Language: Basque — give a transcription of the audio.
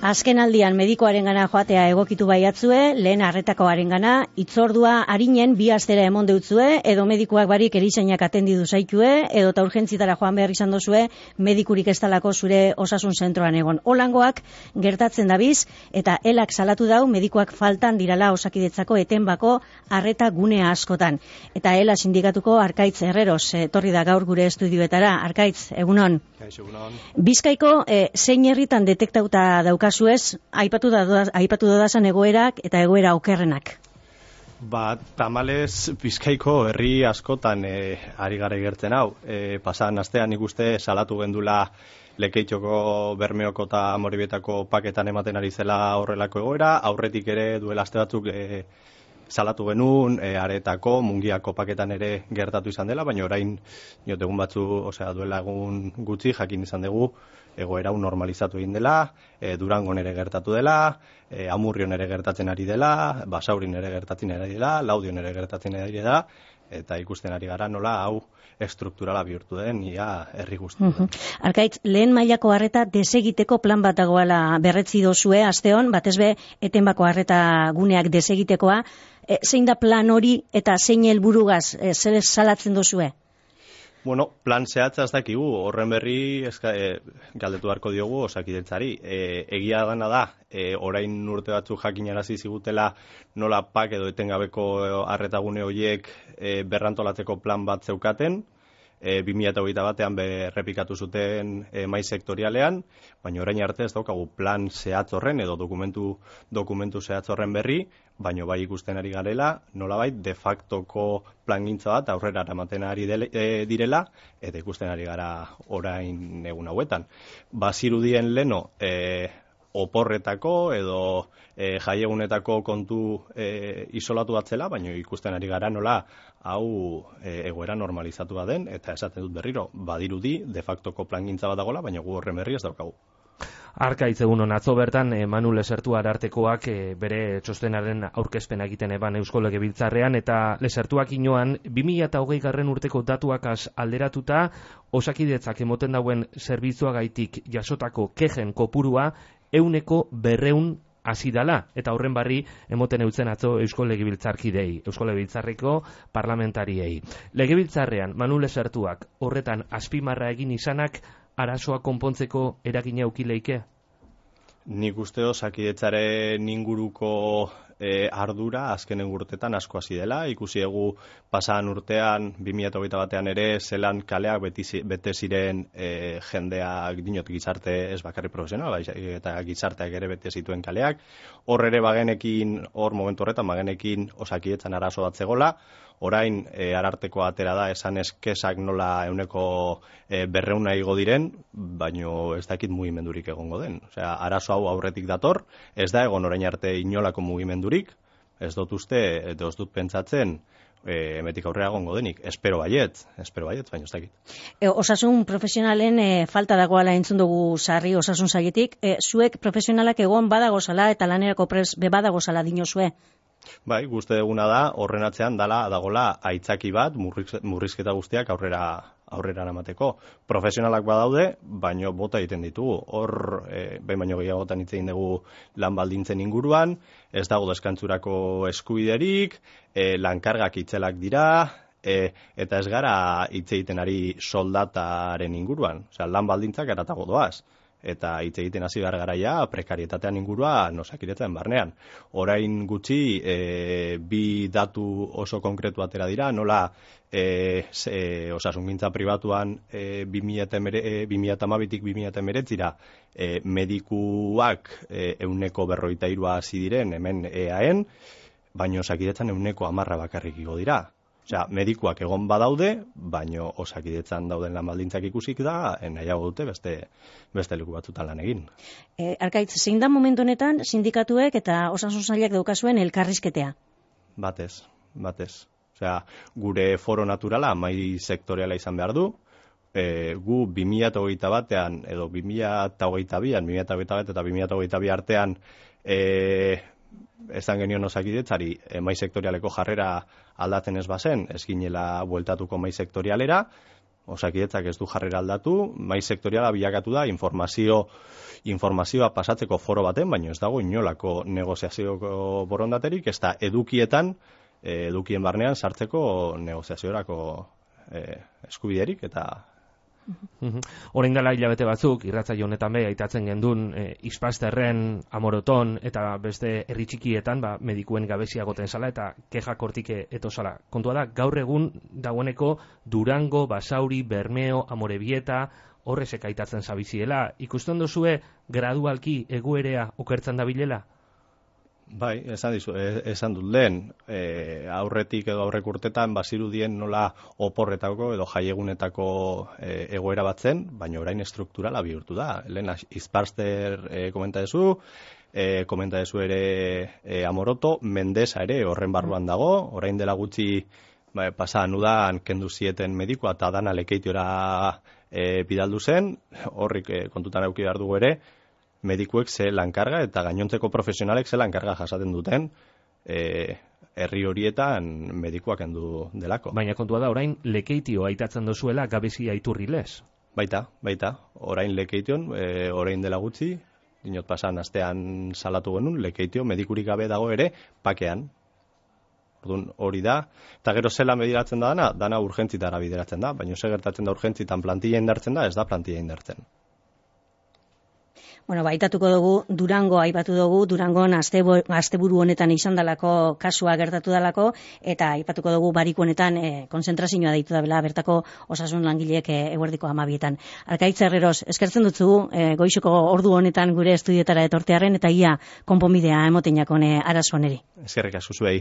Azken aldian medikoarengana joatea egokitu baiatzue, lehen arretakoarengana, hitzordua arinen 2 astera emon deutzue, edo medikuak barik erizainak atendidu zaitue, edo ta urgentzitara joan behar izan dozue, medikurik ez talako zure osasun zentroan egon. Holangoak gertatzen dabiz, eta elak salatu dau medikuak faltan dirala Osakidetzako etenbako arreta gunea askotan. Eta ela sindikatuko Arkaitz Herreros etorri da gaur gure estudioetara. Arkaitz, egunon. Bizkaiko zein herritan detektauta daukazuez, aipatu dodazan egoerak eta egoera okerrenak? Tamalez Bizkaiko herri askotan ari gara igertzen hau. Pasan astean ikuste salatu gendula Lekeitioko, Bermeoko eta Amorebietako paketan ematen ari zela horrelako egoera, aurretik ere duela aste batzuk salatu genuen, aretako, Mungiako paketan ere gertatu izan dela, baina orain egun batzu, duela egun gutxi jakin izan dugu, egoera normalizatu egin dela, Durangon ere gertatu dela, Amurrion ere gertatzen ari dela, Basaurin ere gertatzen ari dela, Laudion ere gertatzen ari dela, eta ikusten ari gara nola hau estrukturala bihurtu den ia herri guztietan. Arkaitz, lehen mailako arreta desegiteko plan bat dagoela berretzi dozue asteon, batezbe etenbako arreta guneak desegitekoa. Zein da plan hori eta zein helburugaz zer salatzen dozue? Plan zehatza ez dakigu, horren berri galdetu beharko diogu Osakidetzari. Egia dana da, orain urte batzuk jakinarazi zigutela nola pak edo etengabeko arretagune horiek berrantolatzeko plan bat zeukaten, 2021 berrepikatu zuten mai sektorialean, baina orain arte ez daukagu plan zehatz horren edo dokumentu zehatz horren berri, baina bai ikusten ari garela, nolabait de factoko plangintza bat aurrera eramaten ari direla, eta ikusten ari gara orain egun hauetan. Bazirudien leno oporretako edo jaiegunetako kontu isolatu batzela, baina ikusten ari gara nola hau egoera normalizatu den, eta esaten dut berriro, badirudi de factoko plangintza bat dagoela, baina gu horren berri ez daukagu. Arkaitz, egunon, atzo bertan Manu Lesertu Arartekoak bere txostenaren aurkezpena egiten eban Eusko Legebiltzarrean, eta Lesertuak inoan 2020 urteko datuak alderatuta Osakidetzak emoten dauen zerbitzuagaitik jasotako kexen kopurua 100% hasi dala, eta horren barri emoten eutzen atzo Eusko Legebiltzarkidei, Eusko Legebiltzarreko parlamentariei. Legebiltzarrean Manu Lesertuak horretan azpimarra egin izanak arazoa konpontzeko eragina aukileike? Nik uste Osakidetzaren inguruko ardura azkenen urtetan asko hasi dela. Ikusi egu pasan urtean 2021 ere zelan kaleak bete ziren jendeak dinot gizarte ez bakarri profesional, eta gizarteak ere bete zituen kaleak. Hor ere momentu horretan bagenekin Osakidetzan arazo bat zegola. Orain Arartekoa atera da esan eskesak nola 100% igo diren, baino ez dakit mugimendurik egongo den. Arazo hau aurretik dator, ez da egon orain arte inolako mugimendurik, ez dut uste, edo ez dut pentsatzen, emetik aurrera egongo denik. Espero baiet, baina ez dakit. Osasun profesionalen falta dagoala entzun dugu sarri osasun sailetik. Zuek profesionalak egon badagozala eta lanerako prest badagozala dinozue? Bai, guzti duguna da, horren atzean dagola aitzaki bat, murrizketa guztiak aurrera eramateko. Profesionalak badaude, baino bota egiten ditugu. Hor, behin baino gehiagotan hitz egin dugu lan baldintzen inguruan, ez dago deskantzurako eskubiderik, lankargak itzelak dira, eta ez gara hitz egiten ari soldataren inguruan. Lan baldintzak eratago doaz. Eta hitz egiten hasi behar garaia prekarietatean ingurua Osakidetzaren barnean. Orain gutxi bi datu oso konkretu atera dira, nola osasungintza pribatuan 2012-tik 2019 medikuak 143 hasi diren hemen EAen, baina Osakidetzan 110 bakarrik igo dira. Medikuak egon badaude, baino Osakidetzan dauden lan baldintzak ikusik da, nahiago dute beste leku batzutan lan egin. Arkaitz, zein da momentu honetan sindikatuek eta osasun sailak daukazuen elkarrizketea? Batez. Gure foro naturala mai sektoriala izan behar du, gu 2021an edo 2022an, 2021 eta 2022 artean esan genion Osakidetzari mai sektorialeko jarrera aldatzen ez bazen, ez ginela bueltatuko mai sektorialera, Osakidetzak ez du jarrera aldatu, mai sektoriala bilakatu da informazioa pasatzeko foro baten, baina ez dago inolako negoziazioko borondaterik, ez da edukietan, edukien barnean sartzeko negoziaziorako eskubiderik eta... Orain dela hilabete batzuk, irratsaio honetan be aitatzen gendun Ispasterren, Amoroton eta beste herri txikietan medikuen gabezia goten zala eta kexak hortik etosala. Kontua da, gaur egun dagoeneko Durango, Basauri, Bermeo, Amorebieta, horrezek aitatzen zabiziela. Ikusten duzue gradualki egoerea okertzen dabilela? Bai, esan dut lehen, aurretik edo aurrek urtetan bazirudien nola oporretako edo jaiegunetako egoera batzen, baina orain estrukturala bihurtu da. Lehen Ispaster komenta dezu ere Amoroto, Mendesa ere horren barruan dago, orain dela gutxi pasan udan kendu zieten medikoa eta dana Lekeitiora bidaldu zen, horrik kontutan eduki behar dugu ere, medikuek ze lankarga eta gainontzeko profesionalek ze lankarga jasaten duten herri horietan medikuak kendu delako. Baina kontua da, orain Lekeitio aitatzen dozuela gabezia iturri lez? Baita, orain Lekeition, orain dela gutxi, dinot pasan astean salatu genuen, Lekeitio medikurik gabe dago ere pakean. Orduan hori da, eta gero zela mediratzen da dana urgentzitara bideratzen da, baina ze gertatzen da urgentzitan plantilla indartzen da, ez da plantilla indartzen. Bueno, aipatuko dugu, Durango aipatu dugu, Durangon asteburu honetan izan dalako kasua gertatu dalako, eta aipatuko dugu Bariku honetan konzentrazioa deitu da bela, bertako osasun langileek eguerdiko 12etan. Arkaitz Herreros, eskertzen dutzu goixoko ordu honetan gure estudioetara etortearren, eta ia konponbidea emoten jakone arazo honeri. Eskerrik asko zuei.